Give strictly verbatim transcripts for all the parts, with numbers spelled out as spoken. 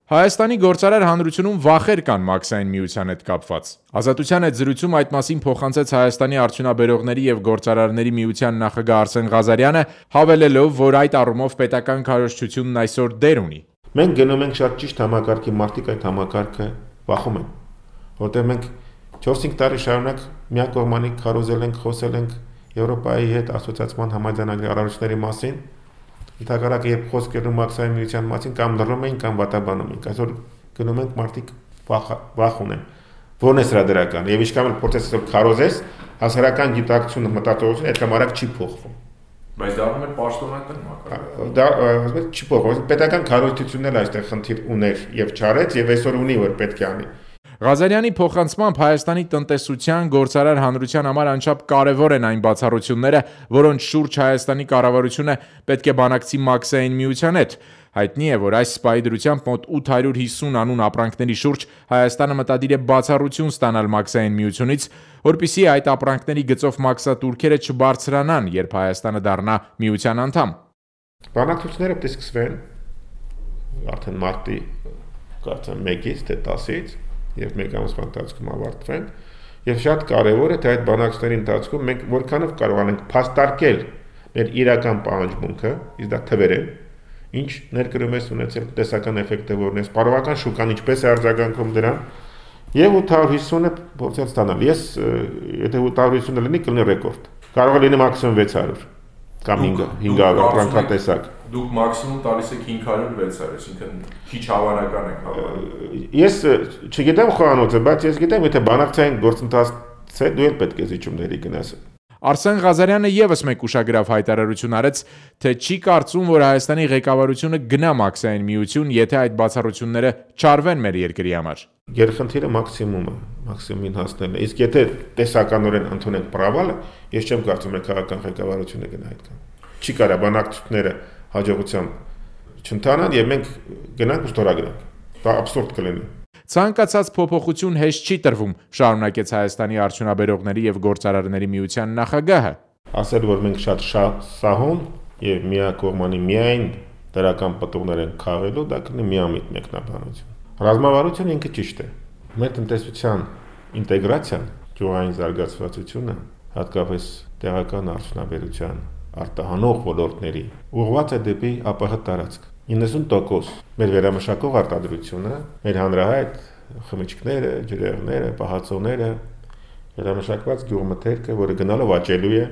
Հայաստանի գործարար հանրությունում վախեր կան մաքսային միության հետ կապված։ Ազատության հետ զրույցում այդ մասին փոխանցեց Հայաստանի արդյունաբերողների եւ գործարարների միության նախագահ Արսեն Ղազարյանը, հավելելով, որ այդ առումով պետական քարոզչությունն այսօր դեր ունի։ Մենք գնում ենք շատ ճիշտ համակարգի, մարդիկ այդ համակարգը վախում են, որտեղ մենք չորս-հինգ տարի շարունակ միակողմանի քարոզել ենք, խոսել ենք Եվրոպայի հետ ասոցիացիան համաձայնագրի առանցքների մասին։ Ընդհանրապես երբ խոսք գնում մաքսային միության մասին կամ լռում են կամ վատաբանում են, այսօր գնում ենք մարդիկ վախ ունեն։ Որն է սրա դրական։ Եվ ինչքան էլ process-ը քարոզես, հասարակական գիտակցությունը, մտածողությունը այդքան արագ չի փոխվում։ Բայց դա անում է պաշտոնական մակարդակ։ Դա ասում եմ չի փոխվում։ Պետական քարոզությունն էլ այստեղ խնդիր ուներ եւ չարեց եւ այսօր ունի որ պետք է անի։ Ղազարյանի փոխանցմամբ Հայաստանի տնտեսության գործարար հանրության համար անչափ կարևոր են այն բացառությունները, որոնց շուրջ Հայաստանի կառավարությունը պետք է բանակցի մաքսային միության հետ։ Հայտնի է, որ այս սպայի դրությամբ մոտ ութ հարյուր հիսուն անուն ապրանքների շուրջ Հայաստանը մտադիր է բացառություն ստանալ մաքսային միությունից, որպեսզի այդ ապրանքների գծով մաքսատուրքերը չբարձրանան, երբ Հայաստանը դառնա միության անդամ։ Բանակցությունները պետք է սկսվեն արդեն մարտի կարծեմ մեկից թե տասից եւ մեկ ամսվա ընթացքում ավարտվեն եւ շատ կարեւոր է թե այդ բանակցությունների ընթացքում մենք որքանով կարողանանք փաստարկել մեր իրական պահանջմունքը, իսկ դա թվեր են, ինչ ներկրումես ունեցել տնտեսական էֆեկտը որն է, սպառողական շուկան ինչպես է արձագանքում դրան եւ ութ հարյուր հիսունը փորձել ստանալ։ Ես եթե ութ հարյուր հիսունը լինի կլինի ռեկորդ։ Կարող է լինի մաքսիմում վեց հարյուր կամ հինգ հարյուր ապրանքատեսակ։ Դուք մաքսիմում տալիս եք հինգ հարյուր վեց հարյուր, այսինքն քիչ հավանական է հավանական։ Ես չգիտեմ խոհանոցը, բայց ես գիտեմ, եթե բանակցային գործընթաց է, դու էլ պետք է զիջումների գնաս։ Արսեն Ղազարյանը եւս մեկ ուշագրավ հայտարարություն արեց, թե չի կարծում, որ Հայաստանի ղեկավարությունը գնա մաքսային միություն, եթե այդ բացառությունները չարվեն մեր երկրի համար։ Գերխնդիրը մաքսիմումը, մաքսիմումին հասնելն է։ Իսկ եթե տեսականորեն ընդունենք պրավալը, ես չեմ կարծում, որ քաղաքական ղեկավարությունը գնա այդքան։ Չի կարա բանակցությունները հաջողությամբ չընթանան եւ մենք գնանք ու ստորագրենք։ Դա աբսուրդ կլինի։ Ցանկացած փոփոխություն հեշտ չի տրվում, շարունակեց Հայաստանի արդյունաբերողների եւ գործարարների միության նախագահը։ Ասել որ մենք շատ սահուն եւ միակողմանի միայն դրական պտուղներ են քաղելու, դա կլինի միամիտ մեկնաբանություն։ Ռազմավարությունը ինքը ճիշտ է։ Մեր տնտեսության ինտեգրացիան, ճյուղային զարգացվածությունը, հատկապես տեղական արդյունաբերության արտահանող ոլորտների ուղղված է դեպի ԱՊՀ տարածք։ իննսուն տոկոս մեր վերամշակող արտադրությունը, մեր հանրահայտ խմիչքները, ջրեղները, պահածոները, վերամշակված գյուղմթերքը, որը գնալով աճելու է,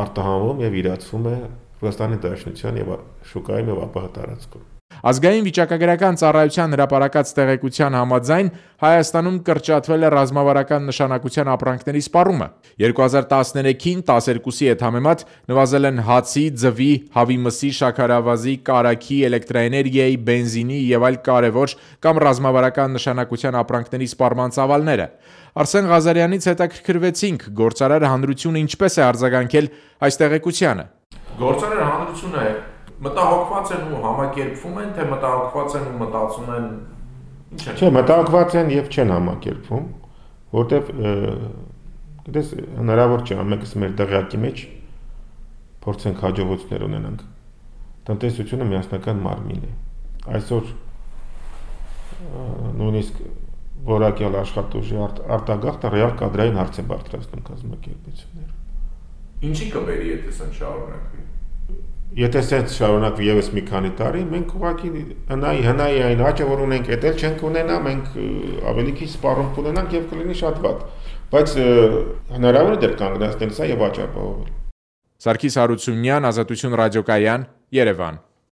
արտահանվում եւ իրացվում է Ռուսաստանի Դաշնության եւ շուկայում եւ ԱՊՀ տարածքում։ Ազգային վիճակագրական ծառայության հրապարակած տեղեկության համաձայն Հայաստանում կրճատվել է ռազմավարական նշանակության ապրանքների սպառումը։ երկու հազար տասներեքին տասներկուսի հետ համեմատ նվազել են հացի, ձվի, հավի մսի, շաքարավազի, կարագի, էլեկտրաէներգիայի, բենզինի եւ այլ կարևոր կամ ռազմավարական նշանակության ապրանքների սպառման ծավալները։ Արսեն Ղազարյանից հետաքրքրվեցինք, գործարար հանրությունը ինչպես է արձագանքել այս տեղեկությանը։ Գործարար հանրությունը մտահոգված են ու համակերպվում են, թե մտահոգված են ու մտածում են ինչ է։ Չէ, մտահոգված են եւ չեն համակերպվում, որտեվ գիտես հնարավոր չէ ամենքս մեր դղյակի մեջ փորձենք հաջողություններ ունենանք։ Տնտեսությունը միասնական մարմին է։ Այսօր նույնիսկ որակյալ աշխատուժի արտագաղթը ռեալ կադրային հարց է բարձրացնում կազմակերպությունները։ Ինչի կբերի, եթե սա շարունակվի։ Եթե սենց շարունակվի եւս մի քանի տարի, մենք ուղղակի հնայի հնայի այն աճը, որ ունենք, էդ չենք ունենա, մենք ավելի քիչ սպառում կունենանք եւ կլինի շատ վատ։ Բայց հնարավոր է դեռ կանգնեցնել սա եւ աճ ապահովել։ Սարգիս Հարությունյան, Ազատություն ռադիոկայան, Երևան։